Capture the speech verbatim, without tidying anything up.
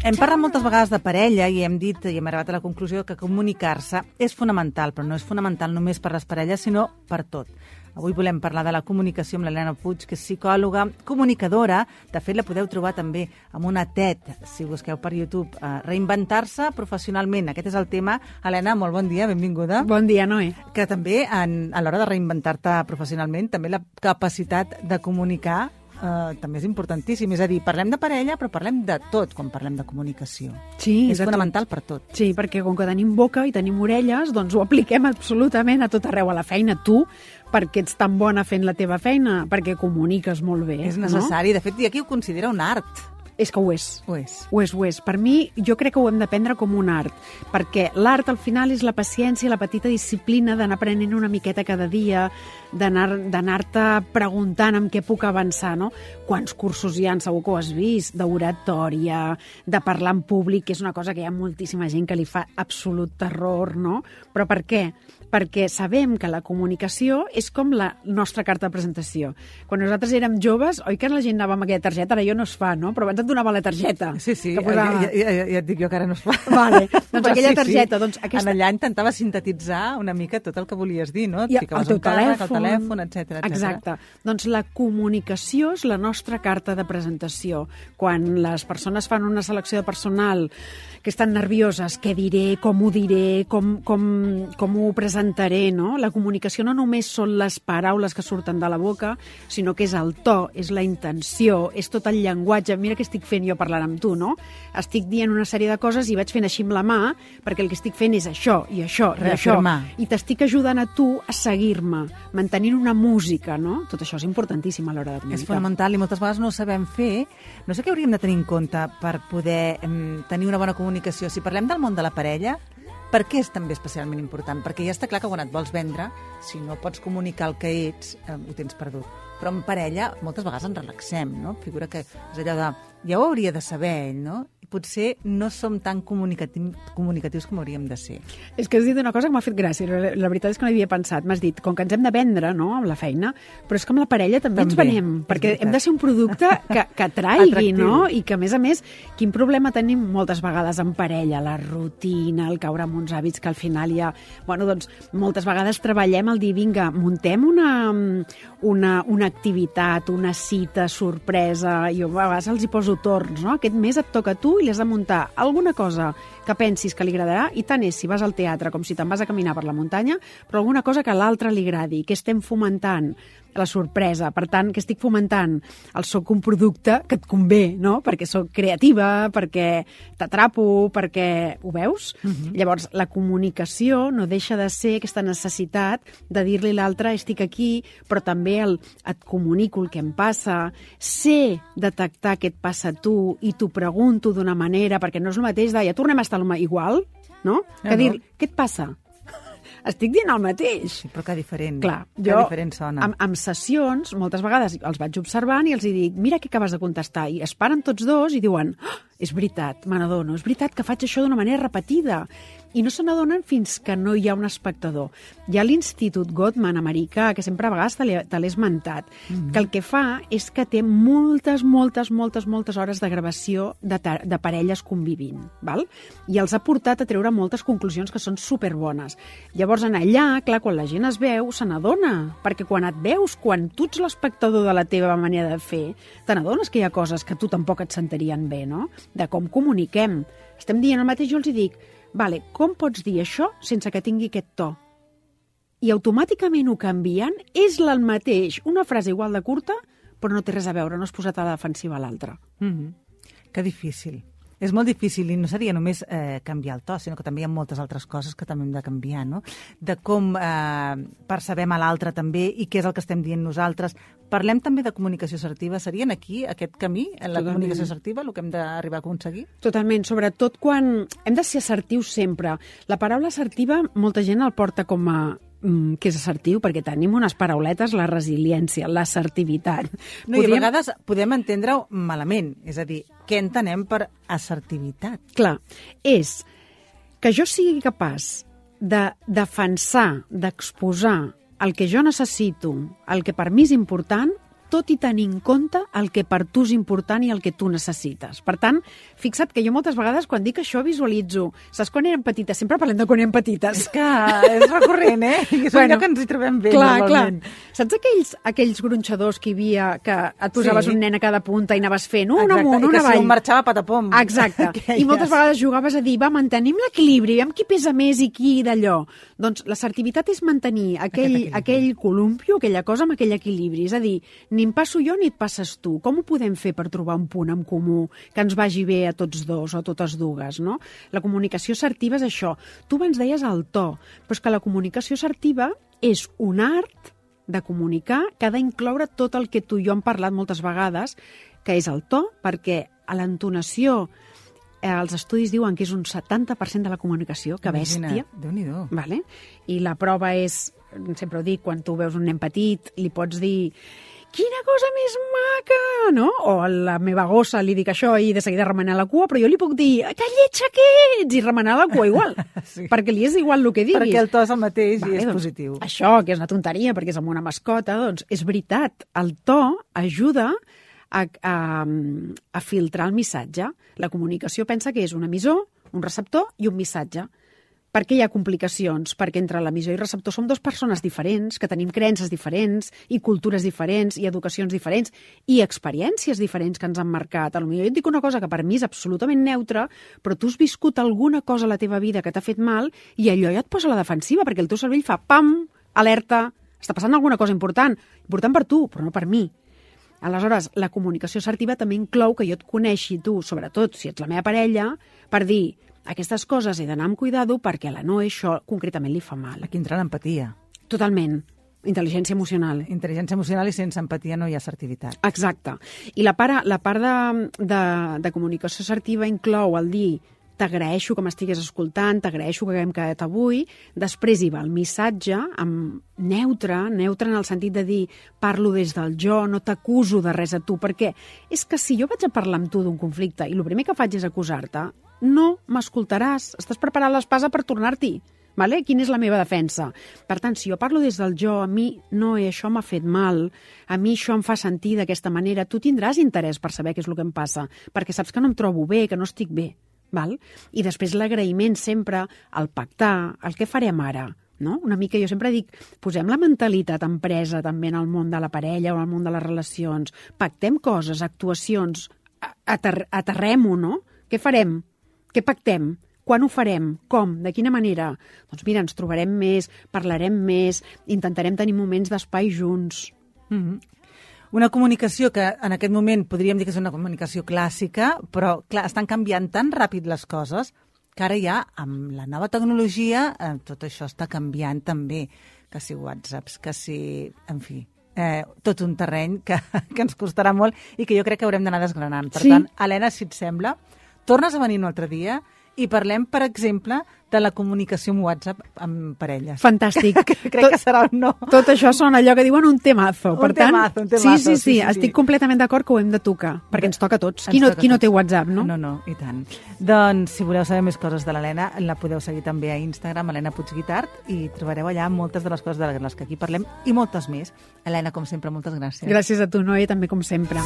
Hem parlat moltes vegades de parella i hem dit i hem arribat a la conclusió que comunicar-se és fonamental, però no és fonamental només per les parelles, sinó per tot. Avui volem parlar de la comunicació amb l'Helena Puig, que és psicòloga, comunicadora. De fet, la podeu trobar també amb una TED, si busqueu per YouTube, eh, reinventar-se professionalment. Aquest és el tema. Helena, molt bon dia, benvinguda. Bon dia, Noé. Que també, en, a l'hora de reinventar-te professionalment, també la capacitat de comunicar Uh, també és importantíssim. És a dir, parlem de parella, però parlem de tot quan parlem de comunicació. Sí, és fonamental tot. Per tot. Sí, perquè com que tenim boca i tenim orelles, doncs ho apliquem absolutament a tot arreu, a la feina. Tu, perquè ets tan bona fent la teva feina, perquè comuniques molt bé. És necessari. No? De fet, hi ha qui ho considera un art. És que ho és. Ho és. Ho és, ho és. Per mi, jo crec que ho hem d'aprendre com un art, perquè l'art al final és la paciència, la petita disciplina d'anar aprenent una miqueta cada dia, d'anar-te preguntant amb què puc avançar, no? Quants cursos hi ha, segur que ho has vist, d'oratòria, de parlar en públic, que és una cosa que hi ha moltíssima gent que li fa absolut terror, no? Però per què? Perquè sabem que la comunicació és com la nostra carta de presentació. Quan nosaltres érem joves, oi que la gent anava amb aquella targeta, ara jo no es fa, no? Però abans et donava la targeta. Sí, sí, posava... ja, ja, ja, ja et dic jo que ara no es fa. Vale, doncs aquella sí, targeta... Sí. Doncs aquesta... En allà intentava sintetitzar una mica tot el que volies dir, no? Et I ficaves el un càrrec, telèfon, el telèfon, etcètera, etcètera. Exacte. Doncs la comunicació és la nostra carta de presentació. Quan les persones fan una selecció de personal que estan nervioses, què diré, com ho diré, com, com, com ho presentaré, no? La comunicació no només són les paraules que surten de la boca, sinó que és el to, és la intenció, és tot el llenguatge. Mira què estic fent jo parlant amb tu, no? Estic dient una sèrie de coses i vaig fent així amb la mà, perquè el que estic fent és això, i això, i això. I t'estic ajudant a tu a seguir-me, mantenint una música, no? Tot això és importantíssim a l'hora de comunicar. És fonamental i moltes vegades no ho sabem fer. No sé què hauríem de tenir en compte per poder eh, tenir una bona comunicació. Si parlem del món de la parella, per què és també especialment important? Perquè ja està clar que quan et vols vendre, si no pots comunicar el que ets, eh, ho tens perdut. Però en parella moltes vegades ens relaxem, no? Figura que és allò de, ja ho hauria de saber ell, no? I potser no som tan comunicatius, comunicatius com hauríem de ser. És que has dit una cosa que m'ha fet gràcia, la, la veritat és que no hi havia pensat. M'has dit, com que ens hem de vendre, no?, amb la feina, però és que amb la parella també, també ens venem, perquè hem de ser un producte que, que atraigui, no? I que, a més a més, quin problema tenim moltes vegades en parella? La rutina, el caure en uns hàbits que al final ja... Bueno, doncs, moltes vegades treballem el dir, vinga, muntem una, una, una activitat, una cita, sorpresa, i jo a vegades els hi poso torns, no? Aquest mes et toca a tu i li has de muntar alguna cosa que pensis que li agradarà, i tant és si vas al teatre com si te'n vas a caminar per la muntanya, però alguna cosa que a l'altre li agradi, que estem fomentant la sorpresa. Per tant, que estic fomentant el soc un producte que et convé, no? Perquè soc creativa, perquè t'atrapo, perquè... Ho veus? Uh-huh. Llavors, la comunicació no deixa de ser aquesta necessitat de dir-li a l'altre estic aquí, però també el et comunico el que em passa, sé detectar què et passa a tu i t'ho pregunto d'una manera, perquè no és el mateix de ja tornem a estar igual, no? Que no, dir, no. Què et passa? Estic dient el mateix. Sí, però que diferent. Clar, que jo, diferent sona. Amb, amb sessions, moltes vegades els vaig observant i els hi dic, mira què acabes de contestar. I es paren tots dos i diuen, oh, és veritat, me n'adono, és veritat que faig això d'una manera repetida. I no se n'adonen fins que no hi ha un espectador. Hi ha l'Institut Gottman americà, que sempre a vegades te l'he esmentat, mm-hmm. que el que fa és que té moltes, moltes, moltes, moltes hores de gravació de, de parelles convivint, val? I els ha portat a treure moltes conclusions que són superbones. Llavors, en allà, clar, quan la gent es veu, se n'adona, perquè quan et veus, quan tu ets l'espectador de la teva manera de fer, te n'adones que hi ha coses que tu tampoc et sentirien bé, no? De com comuniquem. Estem dient el mateix, jo els hi dic, vale, com pots dir això sense que tingui aquest to? I automàticament ho canvien, és el mateix, una frase igual de curta, però no té res a veure, no has posat a la defensiva a l'altra. Mm-hmm. Que difícil. És molt difícil i no seria només eh, canviar el to, sinó que també hi ha moltes altres coses que també hem de canviar, no? De com eh, percebem a l'altre també i què és el que estem dient nosaltres. Parlem també de comunicació assertiva. Serien aquí, aquest camí, en la Totalment. Comunicació assertiva, el que hem d'arribar a aconseguir? Totalment, sobretot quan hem de ser assertius sempre. La paraula assertiva, molta gent el porta com a que és assertiu, perquè tenim unes parauletes, la resiliència, l'assertivitat. No, podríem... I a vegades podem entendre-ho malament, és a dir, què entenem per assertivitat? Clar, és que jo sigui capaç de defensar, d'exposar el que jo necessito, el que per mi és important, tot i tenir en compte el que per tu és important i el que tu necessites. Per tant, fixa't que jo moltes vegades quan dic això visualitzo, saps quan érem petites? Sempre parlem de quan érem petites. És que és recurrent, eh? I és bueno, allò que ens hi trobem bé, clar, normalment. Clar. Saps aquells, aquells gronxadors que hi havia, que et posaves sí. un nen a cada punta i anaves fent un Exacte. amunt, I una avall? I que si un marxava patapom. Exacte. I moltes vegades jugaves a dir, va, mantenim l'equilibri, amb qui pesa més i qui d'allò. Doncs l'assertivitat és mantenir aquell, aquell columpio, aquella cosa amb aquell equilibri. És a dir, ni em passo jo ni et passes tu. Com ho podem fer per trobar un punt en comú que ens vagi bé a tots dos o a totes dues, no? La comunicació assertiva és això. Tu abans deies el to, però és que la comunicació assertiva és un art de comunicar que ha d'incloure tot el que tu i jo hem parlat moltes vegades, que és el to, perquè a l'entonació eh, els estudis diuen que és un setanta per cent de la comunicació, que bèstia. Déu-n'hi-do. Vale? I la prova és, sempre ho dic, quan tu veus un nen petit, li pots dir quina cosa més maca, no? O a la meva gossa li dic això i de seguida remenar la cua, però jo li puc dir que lletja que ets! I remenar la cua igual, sí. perquè li és igual el que diguis. Perquè el to és el mateix vale, i és doncs, positiu. Això, que és una tonteria, perquè és amb una mascota, doncs és veritat. El to ajuda a, a, a filtrar el missatge. La comunicació pensa que és un emissor, un receptor i un missatge. Per què hi ha complicacions? Perquè entre l'emissor i el receptor som dues persones diferents, que tenim creences diferents, i cultures diferents, i educacions diferents, i experiències diferents que ens han marcat. Potser jo et dic una cosa que per mi és absolutament neutra, però tu has viscut alguna cosa a la teva vida que t'ha fet mal, i allò ja et posa a la defensiva, perquè el teu cervell fa pam, alerta, està passant alguna cosa important, important per tu, però no per mi. Aleshores, la comunicació assertiva també inclou que jo et coneixi tu, sobretot si ets la meva parella, per dir aquestes coses he d'anar amb cuidado perquè a la Noe això concretament li fa mal. Aquí entra l'empatia. Totalment. Intel·ligència emocional. Intel·ligència emocional i sense empatia no hi ha assertivitat. Exacte. I la part, la part de, de, de comunicació assertiva inclou el dir t'agraeixo que m'estigués escoltant, t'agraeixo que haguem quedat avui, després hi va el missatge amb neutre, neutre en el sentit de dir parlo des del jo, no t'acuso de res a tu, perquè és que si jo vaig a parlar amb tu d'un conflicte i el primer que faig és acusar-te, no m'escoltaràs, estàs preparant l'espasa per tornar-t'hi. Vale? Quina és la meva defensa? Per tant, si jo parlo des del jo, a mi no, això m'ha fet mal, a mi això em fa sentir d'aquesta manera, tu tindràs interès per saber què és el que em passa, perquè saps que no em trobo bé, que no estic bé. Val? I després l'agraïment sempre, el pactar, el que farem ara. No? Una mica, jo sempre dic, posem la mentalitat empresa també en el món de la parella o en el món de les relacions, pactem coses, actuacions, ater aterrem-ho, no? Què farem? Què pactem? Quan ho farem? Com? De quina manera? Doncs mira, ens trobarem més, parlarem més, intentarem tenir moments d'espai junts. Mm-hmm. Una comunicació que en aquest moment podríem dir que és una comunicació clàssica, però clar, estan canviant tan ràpid les coses que ara ja, amb la nova tecnologia, eh, tot això està canviant també, que si whatsapps, que si... en fi, eh, tot un terreny que, que ens costarà molt i que jo crec que haurem d'anar desgranant. Per sí. tant, Helena, si et sembla, tornes a venir un altre dia i parlem, per exemple, de la comunicació amb WhatsApp amb parelles. Fantàstic. Crec tot, que serà un no. Tot això són allò que diuen un temazo. Un per tant, temazo, un temazo. Sí, sí, sí, sí, sí, estic sí. completament d'acord que ho hem de tocar, perquè ens toca a tots. Qui no, qui no té WhatsApp, no? No, no, i tant. Doncs, si voleu saber més coses de l'Helena, la podeu seguir també a Instagram, Helena Puigguitart, i trobareu allà moltes de les coses de les que aquí parlem i moltes més. Helena, com sempre, moltes gràcies. Gràcies a tu, Noé, també com sempre.